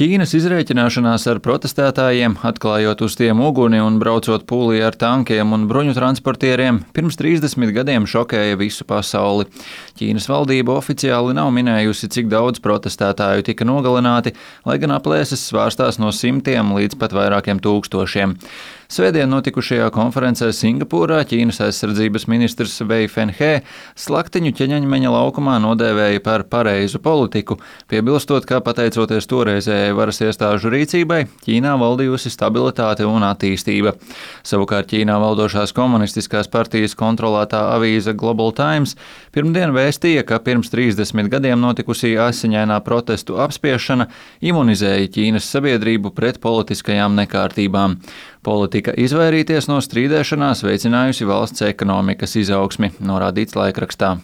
Ķīnas izrēķināšanās ar protestētājiem, atklājot uz tiem uguni un braucot pūlī ar tankiem un bruņu transportieriem, pirms 30 gadiem šokēja visu pasauli. Ķīnas valdība oficiāli nav minējusi, cik daudz protestētāju tika nogalināti, lai gan aplēses svārstās no simtiem līdz pat vairākiem tūkstošiem. Svētdien notikušajā konferencē Singapūrā Ķīnas aizsardzības ministrs Vei Fenhe slaktiņu ķeņaņmeņa laukumā nodēvēja par pareizu politiku, piebilstot, ka pateicoties toreizējai varas iestāžu rīcībai, Ķīnā valdījusi stabilitāte un attīstība. Savukārt Ķīnā valdošās komunistiskās partijas kontrolētā avīze Global Times pirmdien vēstīja, ka pirms 30 gadiem notikusī asiņainā protestu apspiešana imunizēja Ķīnas sabiedrību pret politiskajām nekārtībām. Politika izvairīties no strīdēšanās veicinājusi valsts ekonomikas izaugsmi, norādīts laikrakstā.